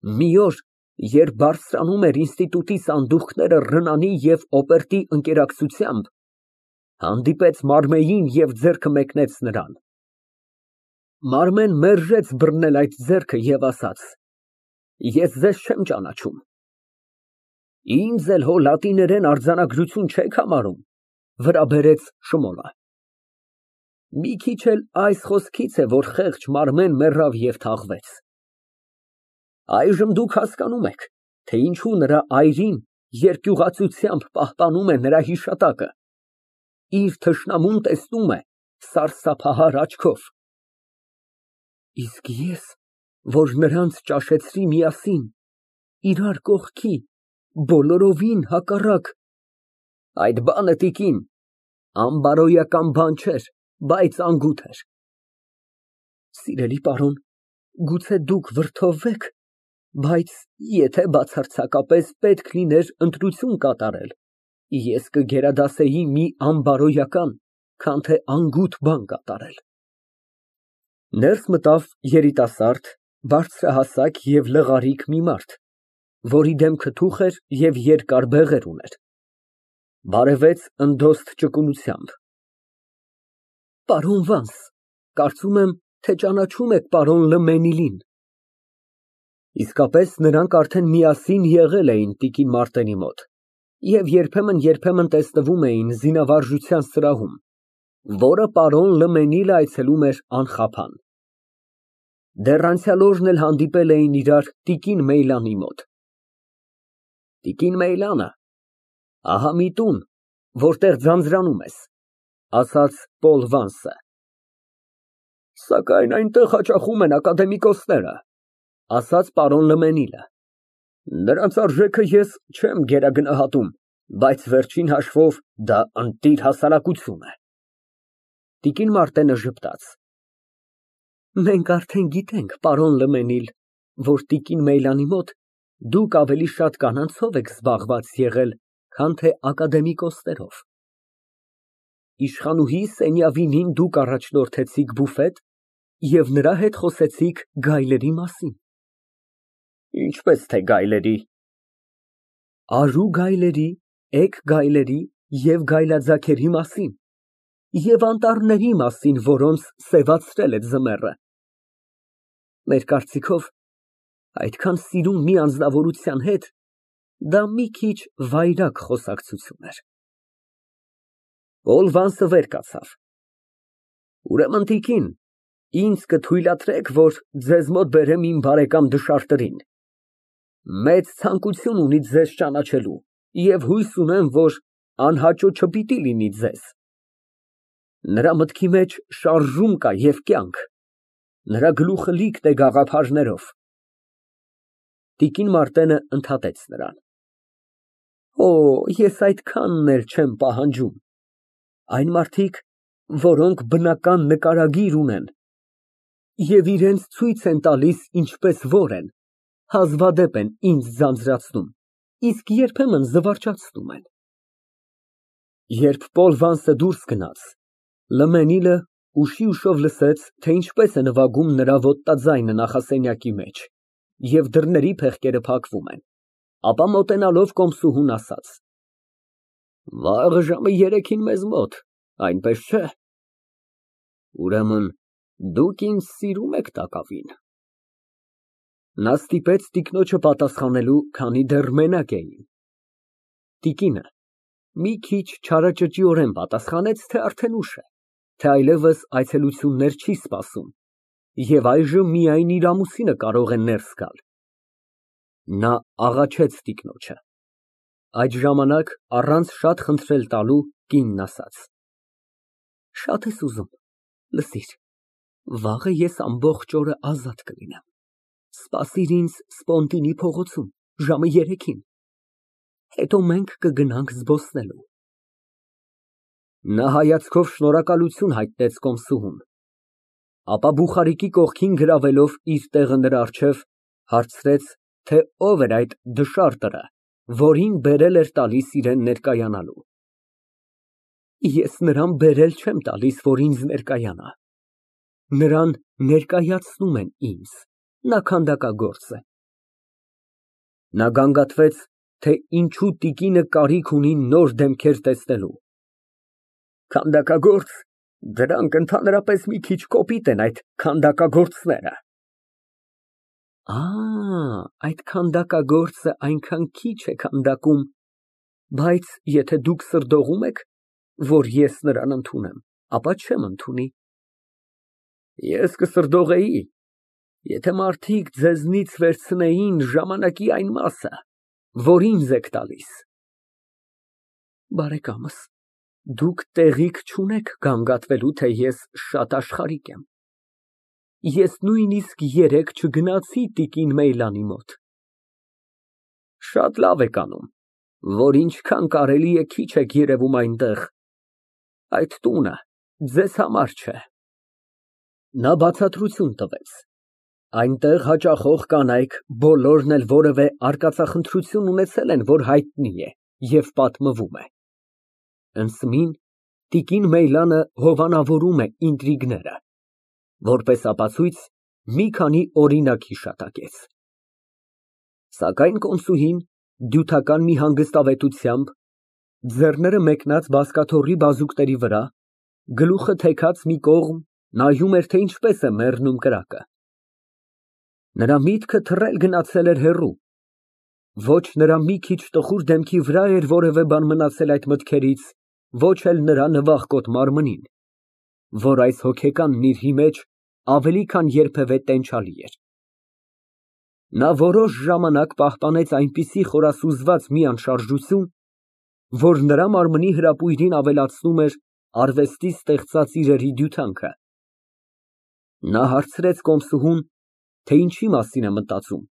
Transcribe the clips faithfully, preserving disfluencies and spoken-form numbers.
Մի օր, երբ բարձրանում էր ինստիտուտի սանդուղքները Ռնանի և Օպերտի ընկերակցությամբ, հանդիպեց Մարմեին և ձեռքը մեկնեց նրան։ Մարմեն մերժեց բռնել այդ ձեռքը և ասաց. «Ես ձեզ չեմ ճանաչում»։ «Ինձ էլ հո լատիներեն արձանագրություն չեք համարում», վրա բերեց Շմուլը։ Մի քիչ էլ այս խոսքից է, որ խեղճ Մարմեն մեռավ և թաղվեց։ Այժմ դուք հասկանում եք, թե ինչու նրա այրին երկյուղածությամբ պահպանում է նրա հիշատակը, իր թշնամուն տեսնում է սարսափահար աչքով։ Իսկ ես, որ նրանց ճաշեցրի միասին, իրար կողքի, բոլորովին հակառակ։ Այդ բանը, տիկին, անբարոյական բան չէր, բայց անգութ էր։ Սիրելի պարոն, գուցե դուք վրդովվեք, բայց եթե բացարձակապես պետք լիներ ընտրություն կատարել, ես կգերադասեի մի անբարոյական, քան թե անգութ բան կատարել։ Ներս մտավ երիտասարդ, բարձրահասակ և լղարիկ մի մարդ, որի դեմքը թուխ էր և երկար բեղեր ուներ։ Բարևեց ընդոստ ճկունությամբ։ Պարոն Վանս, կարծում եմ, թե ճանաչում եք պարոն Լը Մենիլին։ Իսկապես, նրանք արդեն միասին եղել էին տիկին Մարտենի մոտ և երբեմն֊երբեմն տեսնվում էին զինավարժության սրահում, որը պարոն Լը Մենիլը այցելում էր անխափան։ Դեռ անցյալ օրն էլ հանդիպել էին իրար տիկին Մեյլանի մոտ։ Տիկին Մեյլանը, ահա մի տուն, որտեղ ձանձրանում ես, ասաց Պոլ Վանսը։ Սակայն այնտեղ հաճախում են ակադեմիկոսները, ասաց պարոն Լը Մենիլը։ Նրանց արժեքը ես չեմ գերագնահատում, բայց վերջին հաշվով դա ընտիր հասարակություն է։ Տիկին Մարտենը ժպտաց։ Մենք արդեն գիտենք, պարոն Լը Մենիլ, որ տիկին Մեյլանի մոտ դուք ավելի շատ կանանցով եք զբաղված եղել, քան թե ակադեմիկոսներով։ Իշխանուհի Սենյավինին դուք առաջնորդեցիք բուֆետ և նրա հետ խոսեցիք գայլերի մասին։ Ինչպես թե գայլերի։ Արու գայլերի, էգ գայլերի և գայլաձագերի մասին և անտառների մասին, որոնց սևացրել է ձմեռը։ Մեր կարծիքով, այդքան սիրուն մի անձնավորության հետ դա մի քիչ վայրագ խոսակցություն էր։ Պոլ Վանսը վեր կացավ։ Ուրեմն, տիկին, ինձ կթույլատրեք, որ ձեզ մոտ բերեմ իմ բարեկամ Դշարտերին։ Մեծ ցանկություն ունի ձեզ ճանաչելու և հույս ունեմ, որ անհաճո չպիտի լինի ձեզ։ Նրա մտքի մեջ շարժում կա և կյանք, նրա գլուխը լիքն է գաղափարներով։ Տիկին Մարտենը ընդհատեց նրան։ Օ, ես այդքանն էլ չեմ պահանջում։ Այն մարդիկ, որոնք բնական նկարագիր ունեն և իրենց ցույց են տալիս ինչպես որ են, հազվադեպ են ինձ ձանձրացնում, իսկ երբեմն զվարճացնում են։ Երբ Պոլ Վանսը դուրս գնաց, Լը Մենիլը ուշի ուշով լսեց, թե ինչպես է նվագում նրա ոտնաձայնը նախասենյակի մեջ, և դռների փեղկերը փակվում են, ապա մոտենալով կոմսուհուն ասաց. Վաղը ժամը երեքին մեզ մոտ, այնպես չէ։ Ուրեմն դուք ինձ սիրում եք տակավին։ Նա ստիպեց տիկնոջը պատասխանելու, քանի դեռ մենակ էին։ Տիկինը մի քիչ չարաճճիորեն պատասխանեց, թե արդեն ուշ է, թե այլևս այցելություններ չի սպասում, և այժմ միայն իր ամուսինը կարող է ներս գալ։ Նա աղաչեց տիկնոջը։ Այդ ժամանակ, առանց շատ խնդրել տալու, կինն ասաց. Շատ ես ուզում, լսիր, վաղը ես ամբողջ օրը ազատ կլինեմ, սպասիր ինձ Սպոնտինի փողոցում, ժամը երեքին, հետո մենք կգնանք զբոսնելու։ Նա հայացքով շնորհակալություն հայտնեց կոմսուհուն, ապա բուխարիկի կողքին գրավելով իր տեղը նրա առջև, հարցրեց, թե ով էր այդ Դշարտերը, որին բերել էր տալիս իրան ներկայանալու։ Ես նրան բերել չեմ տալիս, որ ինձ ներկայանա, նրան ներկայացնում են ինձ, նա քանդակագործ է։ Նա գանգատվեց, թե ինչու տիկինը կարիք ունի նոր դեմքեր տեսնելու։ Քանդակագործ, դրանք ընդհանրապես մի քիչ կոպիտ են, այդ քանդակագործները։ Ա, այդ քանդակագործը այնքան քիչ է քանդակում, բայց եթե դուք սրդողում եք, որ ես նրան ընդունեմ, ապա չեմ ընդունի։ Ես կսրդողեի, եթե մարդիկ ձեզնից վերցնեին ժամանակի այն մասը, որ ինձ եք տալիս։ Բարեկամս, դուք տեղիք չունեք գանգատվելու, թե ես շատ աշխարհիկ եմ։ Ես նույնիսկ երեկ չգնացի տիկին Մեյլանի մոտ։ Շատ լավ եք անում, որ ինչքան կարելի է քիչ եք երևում այնտեղ։ Այդ տունը ձեզ համար չէ։ Նա բացատրություն տվեց։ Այնտեղ հաճախող կանայք, բոլորն էլ որևէ արկածախնդրություն ունեցել են, որ հայտնի է և պատմվում է։ Ընդսմին տիկին Մեյլանը հովանավորում է ինտրիգները, որպես ապացույց մի քանի օրինակ հիշատակեց։ Սակայն կոմսուհին դյութական մի հանգստավետությամբ, ձեռները մեկնած բազկաթոռի բազուկների վրա, գլուխը թեքած մի կողմ, նայում էր, թե ինչպես է մեռնում կրակը։ Նրա միտքը թռել գնացել էր հեռու, ոչ նրա մի քիչ տխուր դեմքի վրա էր որևէ բան մնացել այդ մտքերից, ոչ էլ նրա նվախկոտ մարմնին, որ այս հոգեկանն իր մեջ ավելի քան երբևէ տենչալի էր։ Նա որոշ ժամանակ պահպանեց այնպիսի խորասուզված մի անշարժություն, որ նրա մարմնի հրապույրին ավելացնում էր արվեստի ստեղծած իրերի դյութանքը։ Նա հարցրեց կոմսուհուն, թե ինչի մասին է մտածում։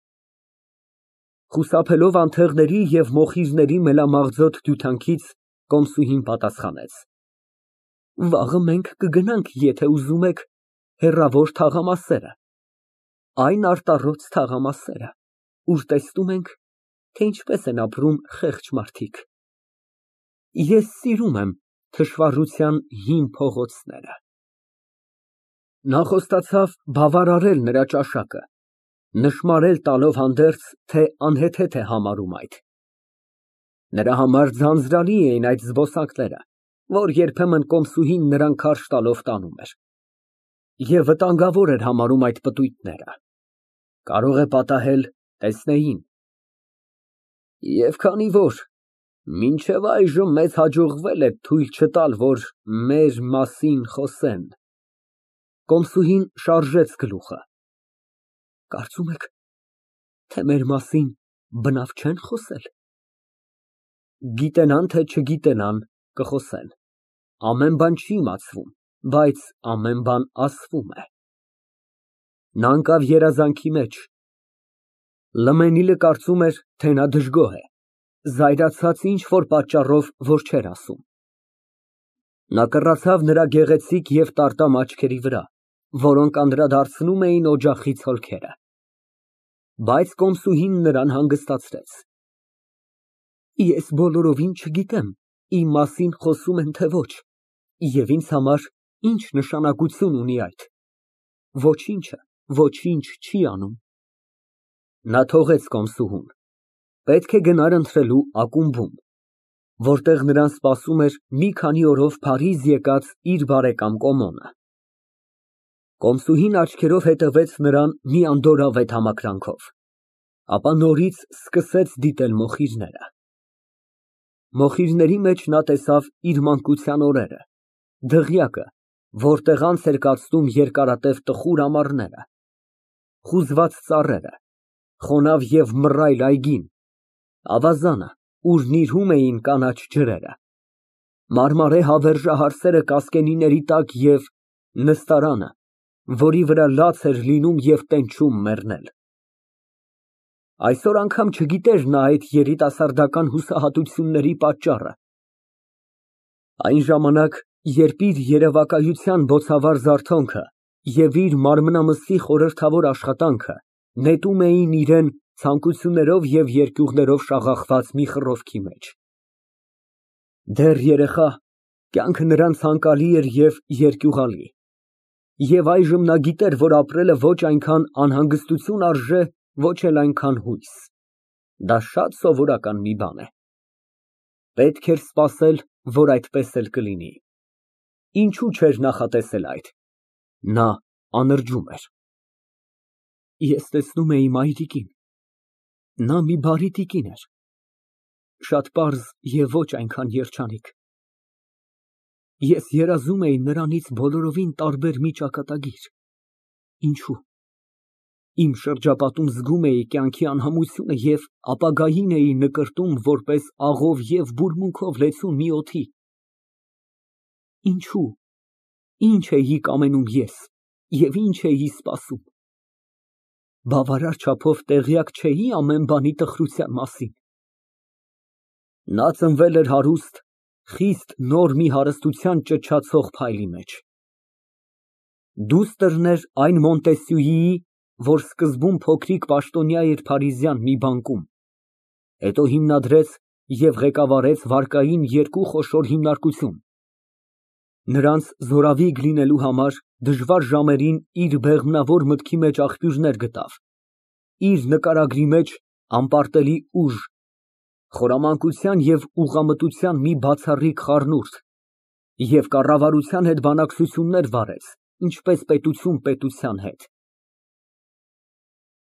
Խուսափելով անթեղների և մոխիրների մելամաղձոտ դյութանքից, կոմսուհին պատասխանեց. Վաղը մենք կգնանք, եթե ուզում եք, հեռավոր թաղամասերը, այն արտառոց թաղամասերը, ուր տեսնում ենք, թե ինչպես են ապրում խեղճ մարդիկ։ Ես սիրում եմ թշվառության հին փողոցները։ Նա խոստացավ բավարարել նրա ճաշակը, նշմարել տալով հանդերձ, թե անհեթեթ է համարում այդ։ Նրա համար ձանձրալի էին այդ զբոսանքները, որ երբեմն կոմսուհին նրան քարշ տալով տանում էր, և վտանգավոր էր համարում այդ պտույտները։ Կարող է պատահել, տեսնեին։ Եվ քանի որ մինչև այժմ մեզ հաջողվել է թույլ չտալ, որ մեր մասին խոսեն, կոմսուհին շարժեց գլուխը։ Կարծում եք, թե մեր մասին բնավ չեն խոսել։ Գիտենան, թե չգիտենան, կխոսեն։ Ամեն բան չի իմացվում, բայց ամեն բան ասվում է։ Նա ընկավ երազանքի մեջ։ Լմենիլը կարծում էր, թե նա դժգոհ է, զայրացած ինչ֊որ պատճառով, որ չէր ասում։ Նա կռացավ նրա գեղեցիկ և տարտամ աչքերի վրա, որոնք անդրադարձնում էին օջախից հոլքերը։ Բայց կոմսուհին նրան հանգստացրեց։ Ես բոլորովին չգիտեմ, իմ մասին խոսում են, թե ոչ, և ինձ համար ինչ նշանակություն ունի այդ։ Ոչինչը ոչինչ չի անում։ Նա թողեց կոմսուհուն, պետք է գնար ընթրելու ակումբում, որտեղ նրան սպասում էր մի քանի օրով Փարիզ եկած իր բարեկամ Կոմոնը։ Կոմսուհին աչքերով հետևեց նրան մի անդորրավետ համակրանքով, ապա նորից սկսեց դիտել մոխիրները։ Մոխիրների մեջ նա տեսավ իր մանկության օրերը, դղյակը, որտեղ անց էր կացնում երկարատև տխուր ամառները, խուզված ծառերը, խոնավ և մռայլ այգին, ավազանը, ուր նիրհում էին կանաչ ջրերը, մարմարե հավերժահարսերը կասկենիների տակ և նստարանը, որի վրա լաց էր լինում և տենչում մեռնել։ Այսօր անգամ չգիտեր նա այդ երիտասարդական հուսահատությունների պատճառը։ Այն ժամանակ, երբ իր երևակայության բոցավառ զարթոնքը և իր մարմնամսի խորհրդավոր աշխատանքը նետում էին իրան ցանկություններով և երկյուղներով շաղախված մի խռովքի մեջ։ Դեռ երեխա, կյանքը նրան ցանկալի էր և երկյուղալի, և այժմ նա գիտեր, որ ապրելը ոչ այնքան անհանգստություն արժե, ոչ էլ այնքան հույս։ Դա շատ սովորական մի բան է։ Պետք էր սպասել, որ այդպես էլ կլինի։ Ինչու չէր նախատեսել այդ։ Նա անրջում էր։ Ես տեսնում էի մայրիկին։ Նա մի բարի տիկին էր, շատ պարզ և ոչ այնքան երջանիկ։ Ես երազում էի նրանից բոլորովին տարբեր մի ճակատագիր։ Ինչո՞ւ։ Իմ շրջապատում զգում էի կյանքի անհամությունը և ապագային էի նկրտում որպես աղով և բուրմունքով լեցուն մի օդի։ Ինչո՞ւ, ինչ էի կամենում ես և ինչ էի սպասում։ Բավարար չափով տեղյակ չէի ամեն բանի տխրության մասին։ Նա ծնվել էր հարուստ, խիստ նոր մի հարստության ճչացող փայլի մեջ։ Դուստրն էր այն Մոնտեսյուիի, որ սկզբում փոքրիկ պաշտոնյա էր Փարիզյան մի բանկում, հետո հիմնադրեց և ղեկավարեց վարկային երկու խոշոր հիմնարկություն։ Նրանց զորավիգ լինելու համար դժվար ժամերին իր բեղմնավոր մտքի մեջ աղբյուրներ գտավ, իր նկարագրի մեջ անպարտելի ուժ, խորամանկության և ուղղամտության մի բացառիկ խառնուրդ և կառավարության հետ բանակցություններ վարեց, ինչպես պետություն պետության հետ։